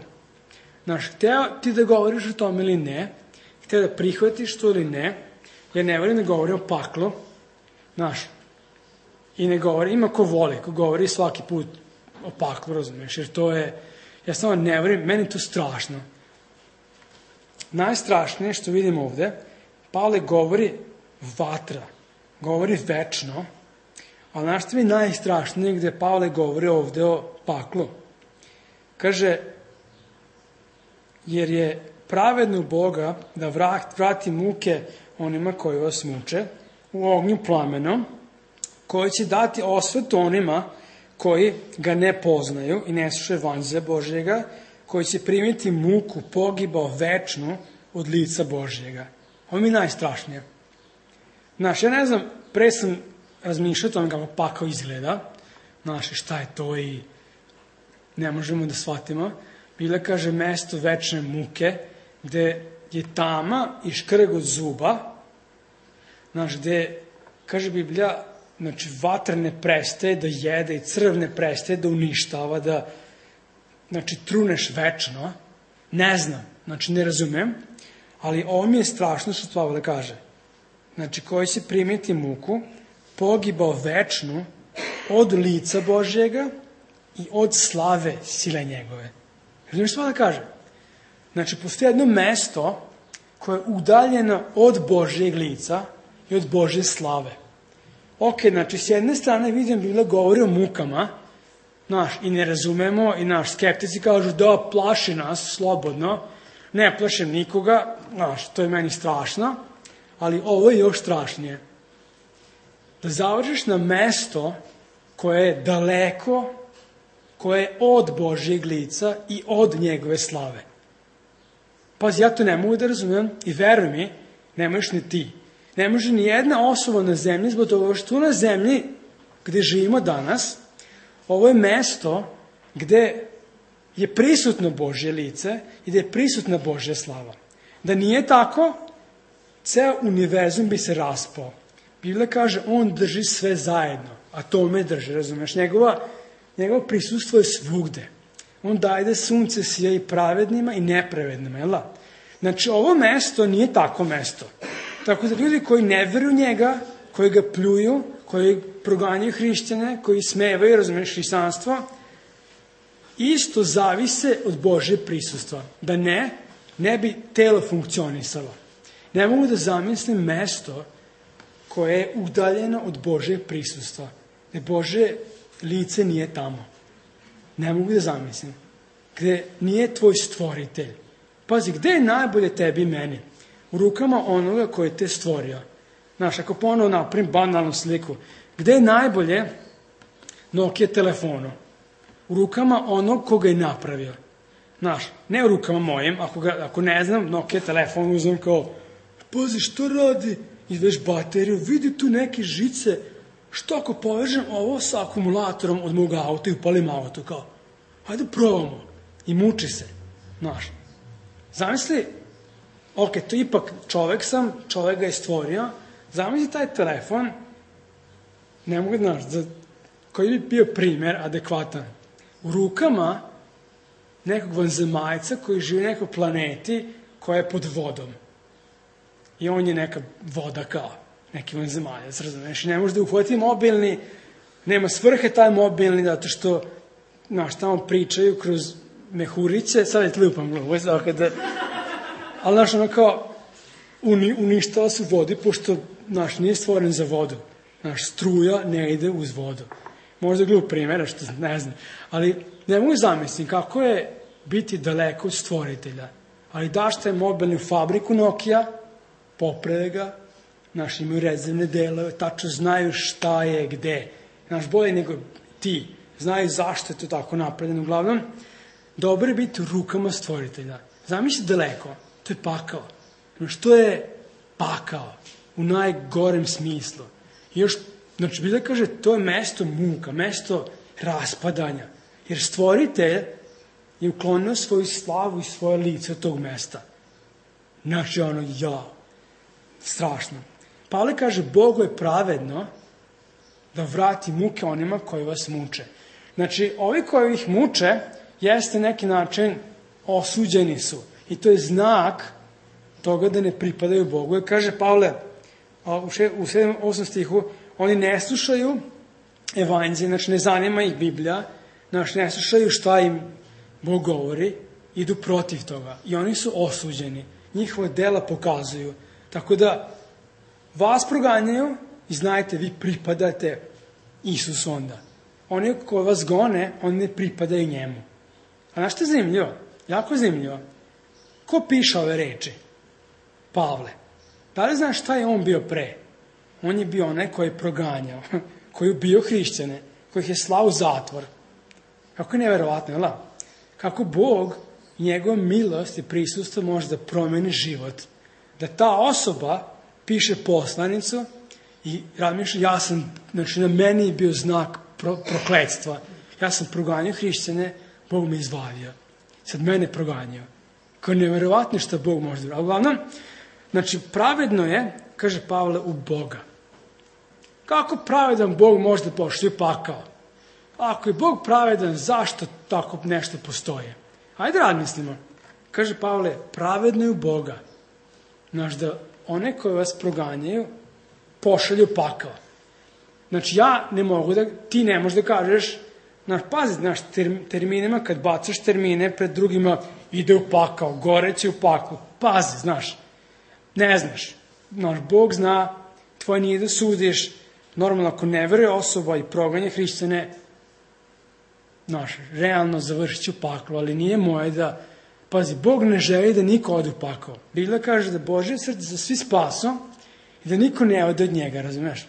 Hteo ti da govoriš o tome ili ne, hteo da prihvatiš to ili ne, ja ne volim da govorim o paklu, i ne govori, ima ko voli, ko govori svaki put o paklu, razumiješ, jer to je, ja samo ne volim, meni je to strašno. Najstrašnije što vidim ovde, Pavle govori vatra, govori večno, ali znaš što mi najstrašnije gde Pavle govori ovde o paklu? Kaže, jer je pravedno Boga da vrati muke onima koji vas muče u ognju plamenom, koji će dati osvetu onima koji ga ne poznaju i ne slušaju evanđelja Božjega, koji će primiti muku pogibao večnu od lica Božjega. Ovo mi je najstrašnije. Ja ne znam, pre sam razmišljao o tome kako pakao izgleda, šta je to i ne možemo da shvatimo. Biblia kaže mesto večne muke, gde je tama i škrg od zuba, gde, kaže Biblija, vatra ne prestaje da jede i crv ne prestaje da uništava, da, truneš večno. Ne znam, ne razumem, ali ovo mi je strašno što Pavle kaže. Koji će primiti muku, pogibao večnu od lica Božjega i od slave sile njegove. Razumiješ što Pavle kaže? Postoji jedno mesto koje je udaljeno od Božjeg lica i od Božje slave. S jedne strane vidim Biblia govori o mukama, i ne razumemo, i skeptici kažu da plaši nas slobodno, ne plašim nikoga, to je meni strašno, ali ovo je još strašnije. Da završiš na mesto koje je daleko, koje je od Božjeg lica i od njegove slave. Pazi, ja to ne mogu da razumem i veruj mi, ne možeš ni ti. Ne može ni jedna osoba na zemlji, zbog toga što na zemlji gde živimo danas, ovo je mesto gde je prisutno Božje lice i gde je prisutna Božja slava. Da nije tako, ceo univerzum bi se raspao. Biblia kaže, on drži sve zajedno, a to me drži, razumeš? Njegovo prisustvo je svugde. On daje da sunce sija i pravednima i nepravednima, jel da? Znači, ovo mesto nije tako mesto. Tako da ljudi koji ne veruju njega, koji ga pljuju, koji proganjaju hrišćane, koji smevaju, razumeš, hrišćanstvo, isto zavise od Božje prisustva. Da ne bi telo funkcionisalo. Ne mogu da zamislim mesto koje je udaljeno od Božje prisustva. Gde Božje lice nije tamo. Ne mogu da zamislim. Gde nije tvoj stvoritelj. Pazi, gde je najbolje tebi i meni? U rukama onoga koji te stvorio. Znaš, ako ponovo napravim banalnu sliku, gde je najbolje Nokia telefonu? U rukama onog koga je napravio. Znaš, ne u rukama mojim, ako ne znam, Nokia telefon uzmem kao, pazi, što radi? Izveš bateriju, vidi tu neke žice, što ako povežem ovo sa akumulatorom od mog auta i upalim auto, kao, hajde probamo. I muči se, znaš. Zamisli, ok, to ipak čovek ga je stvorio, zamisli taj telefon, ne mogu da, znaš, koji bi bio primer adekvatan. U rukama nekog vanzemaljca koji živi na nekoj planeti koja je pod vodom. I on je neka voda kao, neki vanzemaljac, razumeš? I ne može da uhvati mobilni, nema svrhe taj mobilni, zato što, znaš, tamo pričaju kroz mehuriće, sad je tlupam glavu, ali, znaš, ono kao, uništava se u vodi, pošto, znaš, nije stvoren za vodu. Znaš, struja ne ide uz vodu. Možda glup primjera, što ne znam. Ali ne mogu zamisliti kako je biti daleko od stvoritelja. Ali daš taj mobilni u fabriku Nokia, poprede ga, znaš, imaju rezervne delove, tačno znaju šta je gde. Znaš, bolje nego ti. Znaju zašto je to tako napravljeno. Uglavnom, dobro je biti u rukama stvoritelja. Zamisli daleko, to je pakao. Znaš, to je pakao u najgorem smislu. I još, znači, Biblia kaže, to je mesto muka, mesto raspadanja. Jer stvoritelj je uklonio svoju slavu i svoje lice od tog mesta. Znači, strašno. Pavle kaže, Bogu je pravedno da vrati muke onima koji vas muče. Znači, ovi koji ih muče, jeste neki način osuđeni su. I to je znak toga da ne pripadaju Bogu. Jer kaže Pavle, u 7. stihu, oni ne slušaju evanđelje, znači ne zanima ih Biblija, znači ne slušaju šta im Bog govori, idu protiv toga. I oni su osuđeni. Njihova dela pokazuju. Tako da vas proganjaju i znajte, vi pripadate Isusu onda. Oni koji vas gone, oni ne pripadaju njemu. A znaš što je zanimljivo? Jako je zanimljivo. Ko piše ove reči? Pavle. Da li znaš šta je on bio pre? On je bio onaj koji je proganjao, koji je bio hrišćane, koji ih je slao u zatvor. Kako je neverovatno, jel? Kako Bog i njegova milost i prisustvo može da promeni život. Da ta osoba piše poslanicu i razmišlja, znači na meni je bio znak prokletstva. Ja sam proganjao hrišćane, Bog me izbavio. Sad mene proganjao. Kao neverovatno što Bog može da... Ali uglavnom, znači pravedno je, kaže Pavle, u Boga. Kako pravedan Bog može da poštuje pakao? Ako je Bog pravedan, zašto tako nešto postoje? Hajde razmislimo. Kaže Pavle, pravedno je u Boga. Znaš, da one koje vas proganjaju, pošalju pakao. Znači, ja ne mogu da, ti ne možeš da kažeš, znaš, pazi, znaš, terminima, kad bacaš termine pred drugima, ide u pakao, goreće u paklu. Pazi, znaš, ne znaš. Znaš, Bog zna, tvoje nije da sudiš. Normalno, ako ne veruje osoba i proganja hrišćane, znaš, realno završit ću paklu, ali nije moje da, pazi, Bog ne želi da niko ode u pakao. Biblia kaže da Božje srce za svi spaso i da niko ne ode od njega, razumeš?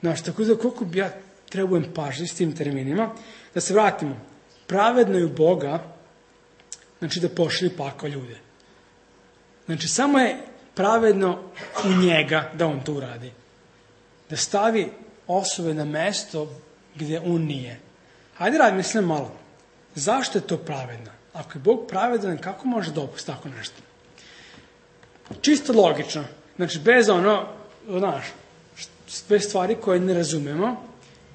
Znaš, tako da koliko bi ja treba budem pažljiv s tim terminima. Da se vratimo. Pravedno je u Boga, znači da pošalje pakao ljude. Znači, samo je pravedno u njega da on to uradi. Da stavi osobe na mesto gdje on nije. Hajde razmislim malo. Zašto je to pravedno? Ako je Bog pravedan, kako može dopustiti tako nešto? Čisto logično. Znači, bez bez stvari koje ne razumemo,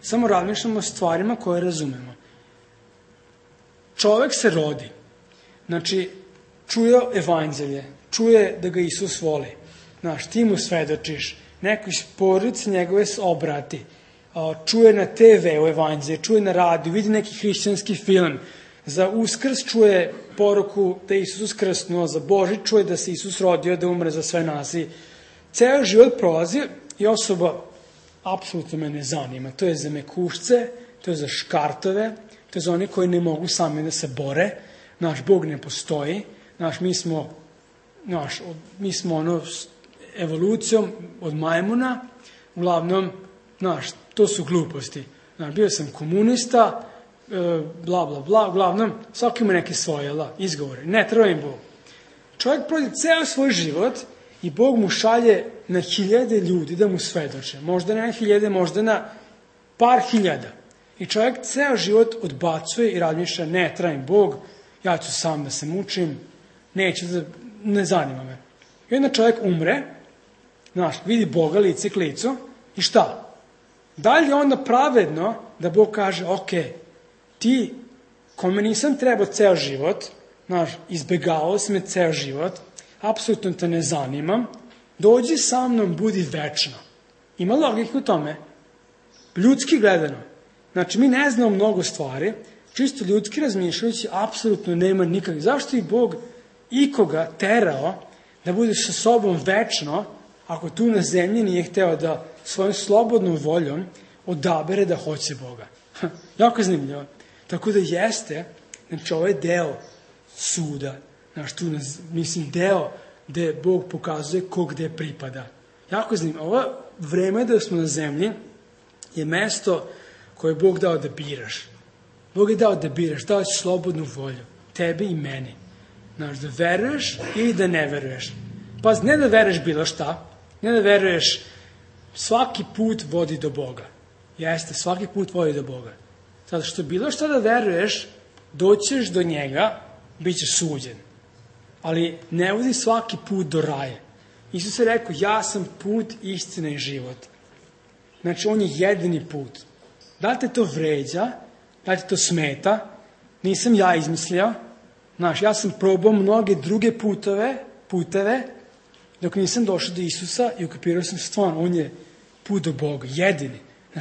samo razmišljamo o stvarima koje razumemo. Čovjek se rodi. Znači, čuje evanđelje, čuje da ga Isus voli. Znaš, ti mu svedočiš, neko iz porodice njegove se obrati, čuje na TV-u evanđelje, čuje na radiju, vidi neki hrišćanski film, za Uskrs čuje poruku da je Isus uskrsnuo, za Božić čuje da se Isus rodio, da umre za sve nas. I ceo život prolazi i osoba apsolutno me ne zanima. To je za mekušce, to je za škartove, to je za one koji ne mogu sami da se bore. Naš Bog ne postoji. Mi smo evolucijom od majmuna. Uglavnom, to su gluposti. Bio sam komunista, bla, bla, bla. Uglavnom, svaki ima neke svoje izgovore. Ne treba im Bog. Čovjek prođe ceo svoj život i Bog mu šalje na 1000 ljudi da mu svedoče. Možda ne na 1000, možda na par hiljada. I čovjek ceo život odbacuje i razmišlja, ne treba im Bog, ja ću sam da se mučim, ne zanima me. I onda čovjek umre, vidi Boga lice k licu i šta? Da li je onda pravedno da Bog kaže, ok, ti kome nisam trebao ceo život, izbegavao si me ceo život, apsolutno te ne zanimam, dođi sa mnom, budi večno. Ima logike u tome. Ljudski gledano. Znači, mi ne znamo mnogo stvari, čisto ljudski razmišljajući, apsolutno nema nikakve. Zašto je Bog ikoga terao da bude sa sobom večno, ako tu na zemlji nije hteo da svojom slobodnom voljom odabere da hoće Boga? Jako zanimljivo. Tako da jeste, znači ovaj deo suda, deo gde Bog pokazuje ko gde pripada. Jako zanimljivo. Ovo vreme da smo na zemlji je mesto koje je Bog dao da biraš. Bog je dao da biraš, dao je slobodnu volju, tebi i meni. Da veruješ ili da ne veruješ. Pa ne da veruješ bilo šta, ne da veruješ, svaki put vodi do Boga. Jeste, svaki put vodi do Boga. Zato što bilo šta da veruješ, doćeš do njega, bit ćeš suđen. Ali ne vodi svaki put do raja. Isus je rekao, ja sam put, istina i život. Znači, on je jedini put. Da li te to vređa, da li te to smeta, nisam ja izmislio. Ja sam probao mnoge druge puteve, dok nisam došao do Isusa i ukapirao sam stvarno, on je put do Boga, jedini.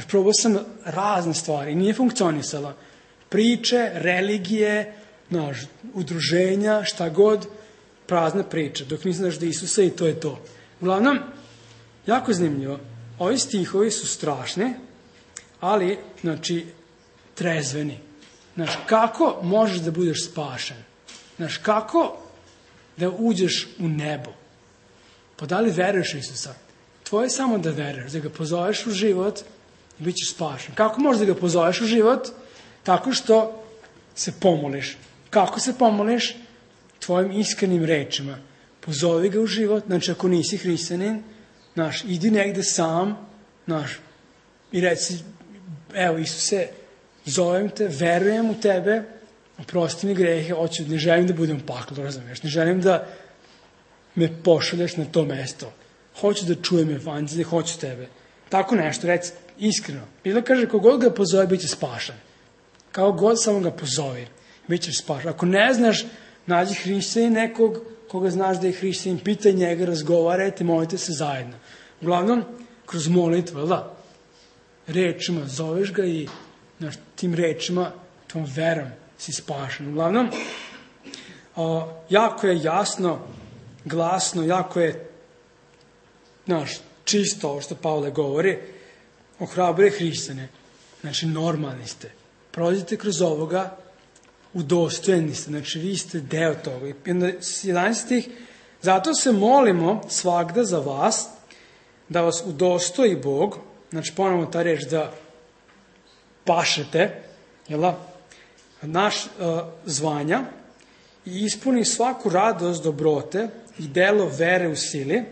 Probao sam razne stvari, nije funkcionisala. Priče, religije, udruženja, šta god, prazna priča, dok nisam došao do Isusa i to je to. Uglavnom, jako zanimljivo, ovi stihovi su strašni, ali, trezveni. Kako možeš da budeš spašen? Kako da uđeš u nebo? Pa da li veruješ Isusa? Tvoje je samo da veruješ, da ga pozoveš u život i bit ćeš spašen. Kako možeš da ga pozoveš u život? Tako što se pomoliš. Kako se pomoliš? Tvojim iskrenim rečima. Pozovi ga u život, ako nisi hrišćanin, idi negde sam, i reci, evo Isuse, zovem te, verujem u tebe, oprosti mi grehe, ne želim da budem u paklu, razumiješ, ne želim da me pošalješ na to mesto. Hoću da čujem evanđelje, hoću tebe. Tako nešto, reci iskreno. Biblia kaže, kogod ga pozove, bit će spašan. Kao god samo ga pozovi, bit ćeš spašan. Ako ne znaš, nađi hrišćanin nekog, koga znaš da je hrišćanin, pitaj njega, razgovarajte, molite se zajedno. Uglavnom, kroz molitvu, rečima, zoveš ga i tim rečima, tom verom si spašan. Uglavnom, jako je jasno, glasno, jako je čisto ovo što Pavle govori, ohrabruje hrišćane. Normalni ste. Prolazite kroz ovoga, udostojeni ste. Vi ste deo toga. I 11. Zato se molimo svagda za vas, da vas udostoji Bog, ponovno ta reč da pašete, naš zvanja i ispuni svaku radost dobrote i delo vere u sili,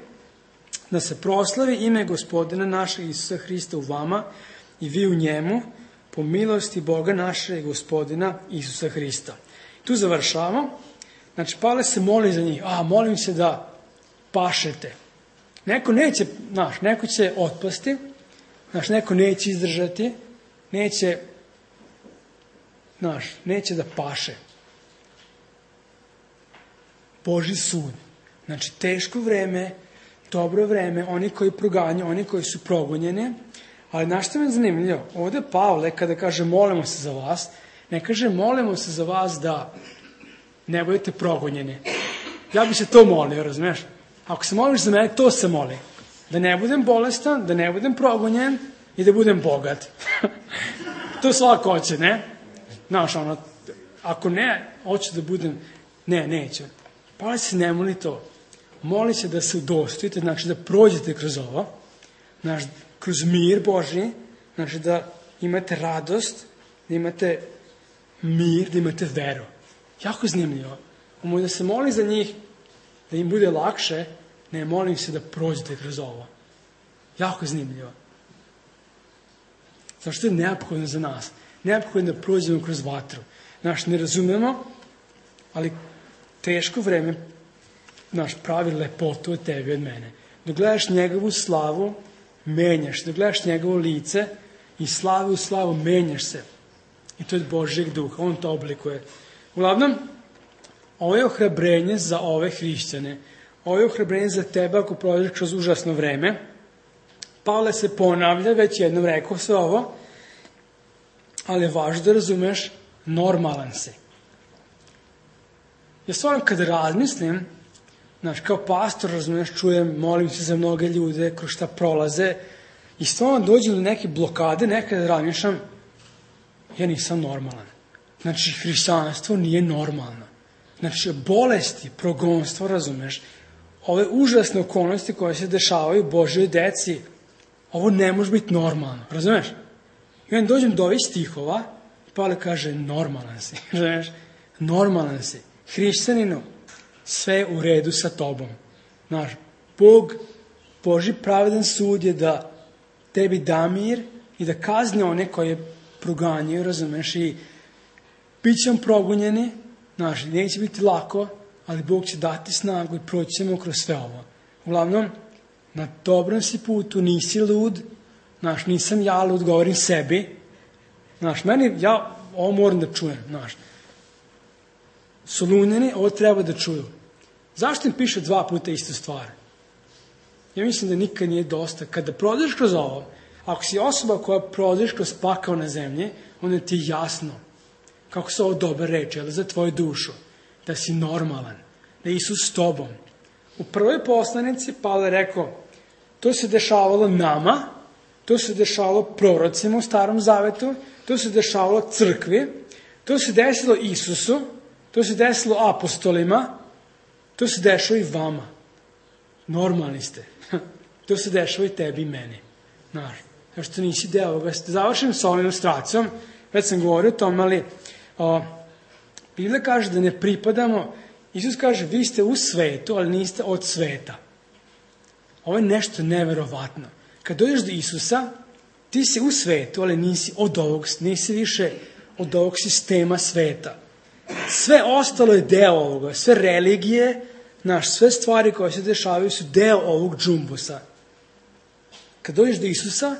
da se proslavi ime Gospodina našeg Isusa Hrista u vama i vi u njemu, po milosti Boga našeg Gospodina Isusa Hrista. Tu završavamo. Znači, Pavle se moli za njih. Molim se da pašete. Neko neće, neko će otpasti, neko neće izdržati, neće da paše. Božji sud. Znači, teško vreme, dobro vreme, oni koji proganjaju, oni koji su progonjeni, ali znaš što me je zanimljivo? Ovde Pavle, kada kaže molimo se za vas, ne kaže molimo se za vas da ne budete progonjeni. Ja bi se to molio, razumiješ? Ako se moliš za mene, to se moli. Da ne budem bolestan, da ne budem progonjen i da budem bogat. To svako hoće, ne? Znaš, ako ne, hoću da budem, neće. Pavle se ne moli to. Moli se da se udostojite, znači da prođete kroz ovo, kroz mir Božji, znači da imate radost, da imate mir, da imate veru. Jako zanimljivo. Da se moli za njih, da im bude lakše, ne molim se da prođete kroz ovo. Jako zanimljivo. Zašto je neophodno za nas? Neophodno da prođemo kroz vatru. Ne razumemo, ali teško vreme pravi lepotu od tebi, od mene. Dok gledaš njegovu slavu, menjaš. Dok gledaš njegovo lice i slavu u slavu, menjaš se. I to je Božjeg duha. On to oblikuje. Uglavnom, ovo je ohrabrenje za ove hrišćane. Ovo je ohrabrenje za tebe ako prođeš kroz užasno vreme. Pavle se ponavlja, već jednom rekao sve ovo, ali je važno da razumeš, normalan si. Ja stvarno kad razmislim, kao pastor, razumiješ, čujem, molim se za mnoge ljude, kroz šta prolaze, i stvarno dođem do neke blokade, nekada razmišljam, ja nisam normalan. Znači, hrišćanstvo nije normalno. Znači, bolesti, progonstvo, razumeš, ove užasne okolnosti koje se dešavaju Božjoj deci, ovo ne može biti normalno, razumeš? I onda dođem do ovih stihova, i Pavle kaže, normalan si, razumeš? Normalan si. Hrišćaninu, sve u redu sa tobom. Božji pravedan sud je da tebi da mir i da kazni one koje proganjaju, razumeš, i bit ćemo progonjeni, neće biti lako, ali Bog će dati snagu i proći ćemo kroz sve ovo. Uglavnom, na dobrom si putu, nisi lud, nisam ja lud, govorim sebi, ja ovo moram da čujem, Solunjani ovo treba da čuju. Zašto im piše 2 puta istu stvar? Ja mislim da nikad nije dosta. Kada prođeš kroz ovo, ako si osoba koja prođeš kroz pakao na zemlji, onda ti je jasno kako su ovo dobre reči, ali za tvoju dušu, da si normalan, da je Isus s tobom. U prvoj poslanici Pavle je rekao, to se dešavalo nama, to se dešavalo prorocima u Starom Zavetu, to se dešavalo crkvi, to se desilo Isusu, to se desilo apostolima, to se dešava i vama. Normalni ste. To se dešava i tebi i meni. Što nisi deo ovoga. Završim sa ovom ilustracijom. Već sam govorio o tom, ali Biblija kaže da ne pripadamo. Isus kaže, vi ste u svetu, ali niste od sveta. Ovo je nešto neverovatno. Kad dođeš do Isusa, ti si u svetu, ali nisi od ovog, nisi više od ovog sistema sveta. Sve ostalo je deo ovoga. Sve religije, sve stvari koje se dešavaju su deo ovog džumbusa. Kad dođeš do Isusa,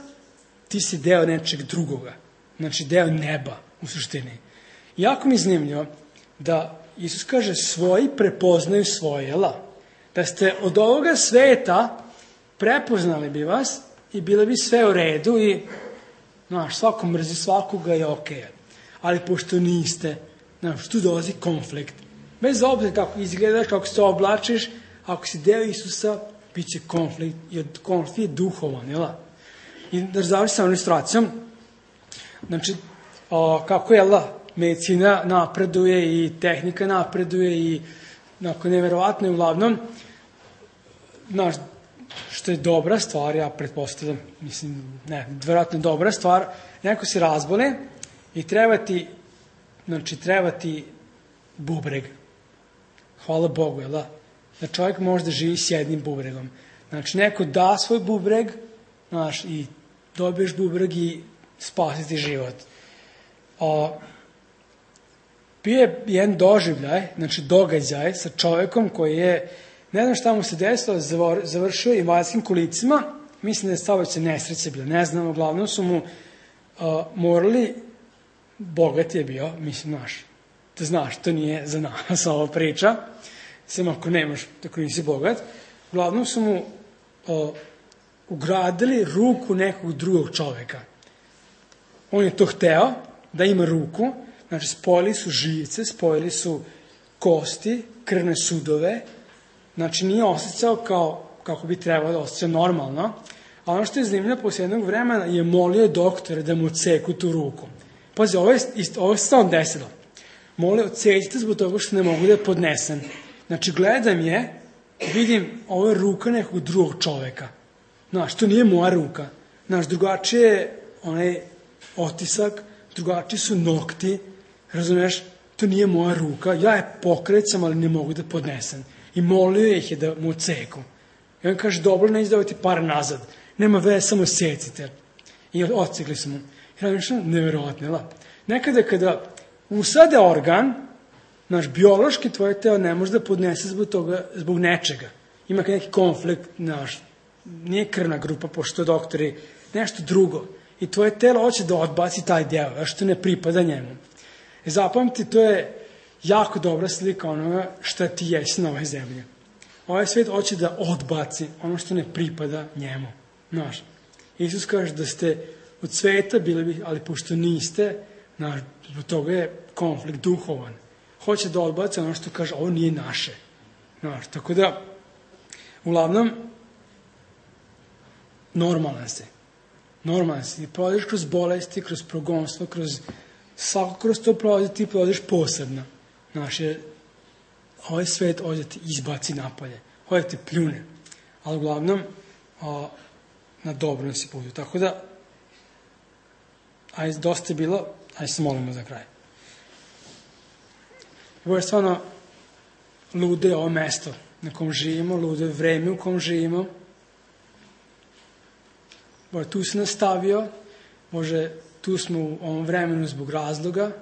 ti si deo nečeg drugoga. Znači, deo neba, u suštini. Jako mi je zanimljivo da Isus kaže, svoji prepoznaju svoje, da ste od ovoga sveta prepoznali bi vas i bilo bi sve u redu i, svako mrzi svakoga je okej. Ali pošto niste, tu dolazi konflikt. Bez obzira kako izgledaš, kako se oblačiš, ako si deo Isusa, bit će konflikt, jer konflikt je duhovan, I da završi sa ilustracijom, znači, kako medicina napreduje i tehnika napreduje i neverovatno je uglavnom, što je dobra stvar, ja pretpostavljam, vjerojatno dobra stvar, neko se razbole i treba ti bubreg. Hvala Bogu, jel da? Da čovjek može da živi s jednim bubregom. Znači, neko da svoj bubreg, i dobiješ bubreg i spasi ti život. Bio je jedan događaj sa čovjekom koji je, ne znam šta mu se desilo, završio invalidskim kolicima, mislim da je saobraćajna nesreća bila, ne znam, uglavnom su mu morali, bogat je bio, da znaš, to nije za nas ova priča, sem ako nisi bogat, uglavnom su mu ugradili ruku nekog drugog čovjeka. On je to hteo, da ima ruku, znači spojili su živce, spojili su kosti, krvne sudove, znači nije osjećao kako bi trebalo da osjeća normalno, a ono što je zanimljivo, posle jednog vremena je molio doktore da mu odseku tu ruku. Pazi, ovo je stvarno desilo. Molio, odsećite zbog toga što ne mogu da je podnesem. Znači, gledam je, vidim, ovo je ruka nekog drugog čoveka. Znaš, to nije moja ruka. Znaš, drugačije je onaj otisak, drugačiji su nokti, razumiješ, to nije moja ruka, ja je pokrećam, ali ne mogu da podnesem. I molio ih je da mu odseku. I on kaže, dobro, neće davati par nazad, nema veze, samo secite. I odsekli su mu. I razmišljam, nevjerojatno, nekada kada usade organ, naš biološki tvoje telo ne može da podnese zbog nečega. Ima neki konflikt, nije krvna grupa, pošto doktori, nešto drugo. I tvoje telo hoće da odbaci taj deo, a što ne pripada njemu. Zapamti, to je jako dobra slika onoga šta ti jesi na ovoj zemlji. Ovaj svijet hoće da odbaci ono što ne pripada njemu. Znaš, Isus kaže da ste od sveta bili, ali pošto niste, zbog toga je konflikt duhovan. Hoće da odbaci ono što kaže, ovo nije naše. Znaš, tako da, uglavnom, normalan si. Ti prolaziš kroz bolesti, kroz progonstvo, kroz to prolazi, ti prolaziš posebno. Znaš, jer ovaj svet hoće ti izbaci napolje, hoće ti pljune. Ali uglavnom, na dobrom si putu. Tako da, dosta je bilo, se molimo za kraj. Ovo je stvarno lude ovo mesto na kom živimo, lude vreme u kom živimo. Bože, tu si nastavio, Bože, tu smo u ovom vremenu zbog razloga.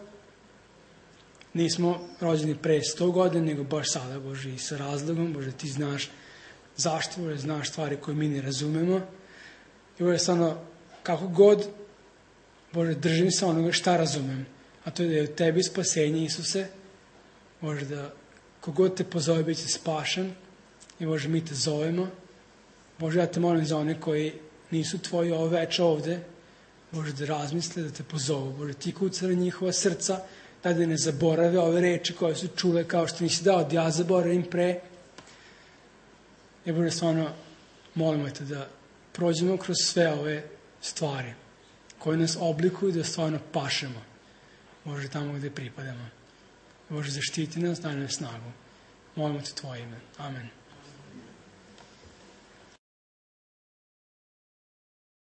Nismo rođeni pre 100 godina, nego baš sada, Bože, i sa razlogom. Bože, ti znaš zašto, Bože, znaš stvari koje mi ne razumemo. I Bože, stvarno, kako god, Bože, držim se onoga šta razumem. A to je da je u tebi spasenje, Isuse. Bože, da kogod te pozove bit će spašen. I Bože, mi te zovemo. Bože, ja te molim za one koji nisu tvoji ovo večer ovde. Bože, da razmisle, da te pozovu. Bože, ti kucali njihova srca, da ne zaborave ove reči koje su čule, kao što nisi dao da ja zaboravim pre. I Bože, stvarno, molimo te da prođemo kroz sve ove stvari koje nas oblikuju, da stvarno pašemo. Bože, tamo gde pripadamo. Bože, zaštiti nas, daj nam snagu. Molimo te tvoje ime. Amen.